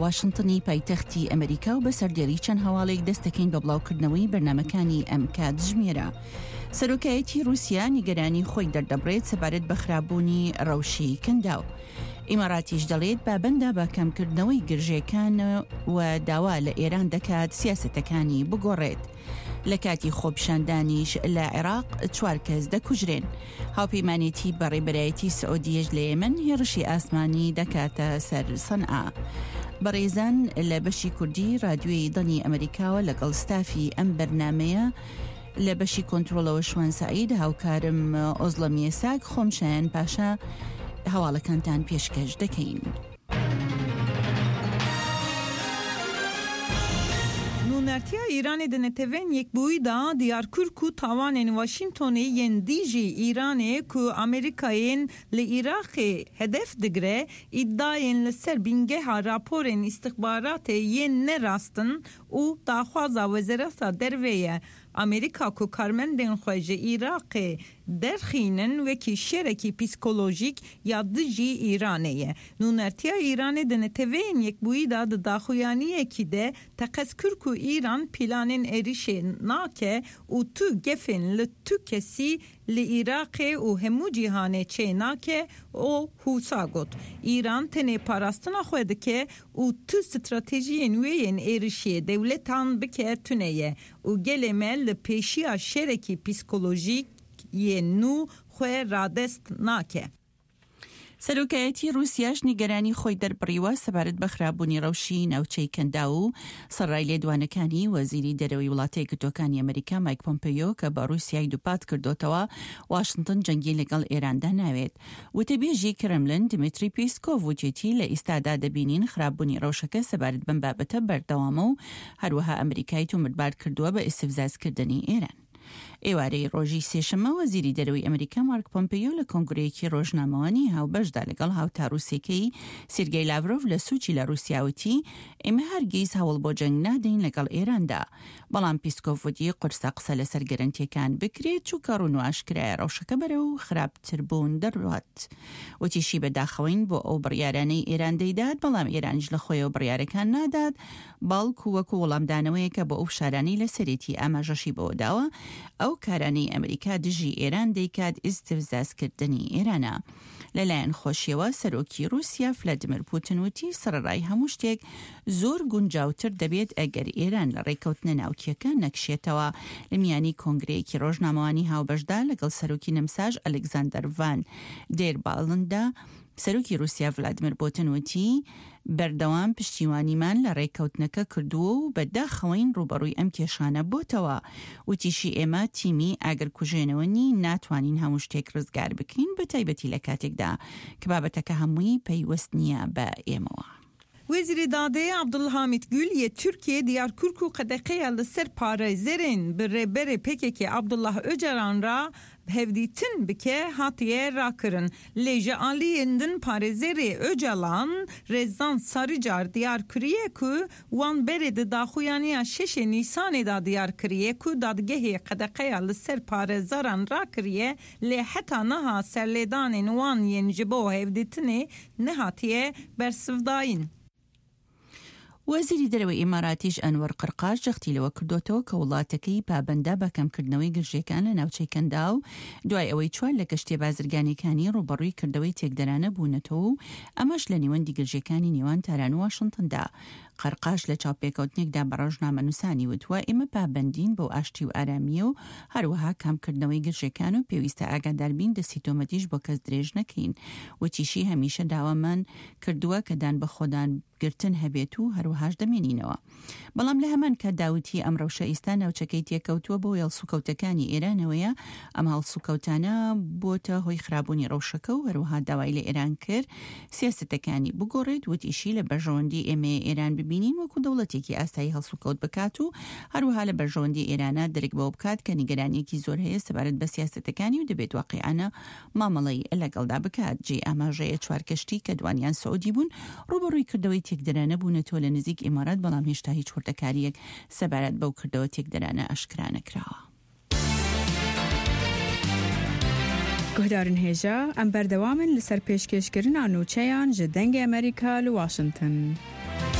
واشنتنی پایتەختی ئەمریکا و بە سەردێری چەند هەواڵێک دەست دەکەین بە بڵاوکردنەوەی بەرنامەکانی ئەم کاتژمێرە. سەرۆکایەتی رووسیا نیگەرانی خۆی دەردەبڕێت سەبارەت بە خراپبوونی ڕەوشی کەنداو. ئیماراتیش دەڵێت پابەندە بە کەمکردنەوەی گرژێکان و داوا لە ئێران دەکات سیاسەتەکانی بگۆڕێت. لە کاتی خۆپیشاندانیش لە عێراق چوار کەس دەکوژرێن. هاوپەیمانێتی بە ڕێبەرایەتی سعودیەش لە یەمەن هێڕشی ئاسمانی دەکاتە سەر سەنعا. بەڕێزان لە بەشی کوردی رادیۆی دەنگی ئەمەریکاوە لەگەڵ ستافی ئەم بەرنامەیە لە بەشی کۆنترۆڵەوە شوان سەعید هاوکارم ئۆزڵەم یەساک خۆم شایان پاشا هەواڵەکانتان پێشکەش دەکەین. Nûnertiya Îranê di Neteweyên Yekbûyî de diyar kir ku tawanên Washingtonê yên dijî Îranê ku Amerîkayên li Iraqê hedef digire, îdayên li ser bingeha raporên îstixbaratê yên ne rast in û daxwaza Wezareta Derve ye Amerîka ku karmendên xwe ji Iraqê derxînin wekî şerekî psîkolojîk ya dijî Îranê ye. Nûnertiya Îranê di Neteweyên Yekbûyî de di daxuyaniyekî de teqez kir ku Îran pîlanên êrişê nake û tu gefên li tu kesî li Iraqê û hemû cîhanê çê nake û wisa got, Îran tenê parastina xwe dike û tu stratejiyên wê yên êrişê dewletan bike tune ye û gelê me li pêşiya şerekî psîkolojîk yê nû xwe radest nake. سەرۆکایەتی ڕووسیاش نیگەرانی خۆی دەربڕیوە سەبارەت بە خراپبوونی ڕەوشی ناوچەی کەنداو و سەرڕای لێدوانەکانی وەزیری دەرەوەی وڵاتە یەکگرتووەکانی ئەمریکا مایک پۆمپێیۆ کە بە ڕووسیای دووپات کردۆتەوە واشنتن جەنگی لەگەڵ ئێراندا ناوێت. وتەبێژی کرملن دیمیتری پیسکۆڤ وتیتی لە ئیستادا دەبینین خراپبوونی ڕەوشەکە سەبارەت بەم بابەتە بەردەوامە و هەروەها ئەمریکای تۆمەتبار کردووە بە ئیستفزازکردنی ئێران. ئێوارەی ڕۆژی سێشەممە وەزیری دەرەوەی ئەمریکا مارک پۆمپێیۆ لە کۆنگرەیەکی ڕۆژنامەوانی هاوبەشدا لەگەڵ هاوتا ڕووسیەکەی سیرگەی لاڤرۆڤ لە سوچی لە ڕووسیا وتی ئێمە هەرگیز هەوڵ بۆ جەنگ نادەین لەگەڵ ئێراندا. بەڵام پیسکۆڤ وتی قورسە قسە لەسەر گەرەنتیەکان بکرێت چونکە ڕوون و ئاشکرایە ڕەوشەکە بەرەو خراپتربوون دەڕوات. وتیشی بەداخەوەین بۆ ئەو بڕیارانەی ئێران دەیدات بەڵام ئێرانیش لە خۆیەوە بڕیارەکان نادات بەڵکو وەکو وەڵامدانەوەیەکە بۆ ئەو فشارانەی لەسەرێتی، ئاماژەشی بەوەداوە ئەو کارانەی ئەمریکا دژی ئێران دەیکات ئیستفزازکردنی ئێرانە. لەلایەن خۆشیەوە سەرۆکی رووسیا فلادیمیر پوتن وتی سەڕەڕای هەموو شتێک زۆر گونجاوتر دەبێت ئەگەر ئێران لە ڕێککەوتنە ناوکیەکە نەکشێتەوە. لە میانی کۆنگرەیەکی ڕۆژنامەوانی هاوبەشدا لەگەڵ سەرۆکی نەمساش ئەلێکزاندەر ڤان دێر باڵندا، سەرۆکی رووسیا ڤلادیمیر پوتن وتی، بەردەوام پشتیوانیمان لە رێککەوتنەکە کردووە و بە داخەوەین رووبەڕووی ئەم کێشانە بۆتەوە. وتیشی، ئێمە تیمی ئاگرکوژێنەوە نین، ناتوانین هەموو شتێک رزگار بکەین، بەتایبەتی لە کاتێکدا کە بابەتەکە هەمووی پەیوەست نییە بە ئێمەوە. Wezîrê Dadê Abdulhamît Gül yê Tirkiyê diyar kir ku qedeqeya li ser parêzerên bi rêberê pkk Abdullah Ocalan re hevdîtin bike hatiye rakirin. Lê ji aliyên din parêzerê Ocalan Rezan Saricar diyar kiriye ku wan berê di daxuyaniya şeşê Nîsanê de diyar kiriye ku dadgehê qedeqeya li ser parêzeran rakiriye lê heta niha serlêdanên wan yên ji bo hevdîtinê nehatiye bersivdayîn. وەزیری دەرەوەی ئیماراتیش ئەنوەر قرقاش جەختی لەوە کردۆتەوە کە وڵاتەکەی پابەندە بە کەمکردنەوەی گرژییەکان لە ناوچەی کەنداو دوای ئەوەی چوار لە کەشتییە بازرگانییەکانی ڕووبەڕووی کردەوەی تێکدەرانە بوونەتەوە و ئەمەش لە نێوەندی گرژییەکانی نێوان تاران و واشنتندا. قەرقاش لە چاوپێکەوتنێکدا بە ڕۆژنامەنووسانی وتووە، ئێمە پابەندین بەو ئاشتی و ئارامییە و هەروەها کەمکردنەوەی گرژییەکان و پێویستە ئاگاداربین دەستی تۆمەتیش بۆ کەس درێژ نەکەین. وتیشی، هەمیشە داوامان کردووە کە دان بەخۆدان گرتن هەبێت و هەروەهاش دەمێنینەوە. بەڵام لە هەمان کاتدا وتی ئەم ڕەوشە ئیستا ناوچەکەی تێکەوتووە بەهۆی هەڵسوکەوتەکانی ئێرانەوەیە، ئەم هەڵسوکەوتانە بۆتە هۆی خراپبوونی ڕەوشەکە و هەروەها داوای لە ئێران کرد سیاسەتەکانی بگۆڕێت، وتیشی لە بەرژەوەندی ئێمەیە ئێران ببینین وەکو دەوڵەتێکی ئاسایی هەڵسوکەوت بکات و هەروەها لە بەرژەوەندی ئێرانە درک بەوە بکات کە نیگەرانیەکی زۆر هەیە سەبارەت بە سیاسەتەکانی و دەبێت واقیعانە مامەڵەی لەگەڵدا بکات. جێی ئاماژەیە چوار کەشتی کە دوانیان سعودی بوون ڕووبەڕووی کردەوەی تێکدەرانە بوونەتەوە لە نزیک ئیمارات، بەڵام هێشتا هیچ وردەکارییەک سەبارەت بەو کردەوە تێکدەرانە ئاشکرا نەکراوە. Guhdarên hêja, em berdewam in li ser pêşkêşkirina nûçeyan ji Dengê Amerîka li Washington.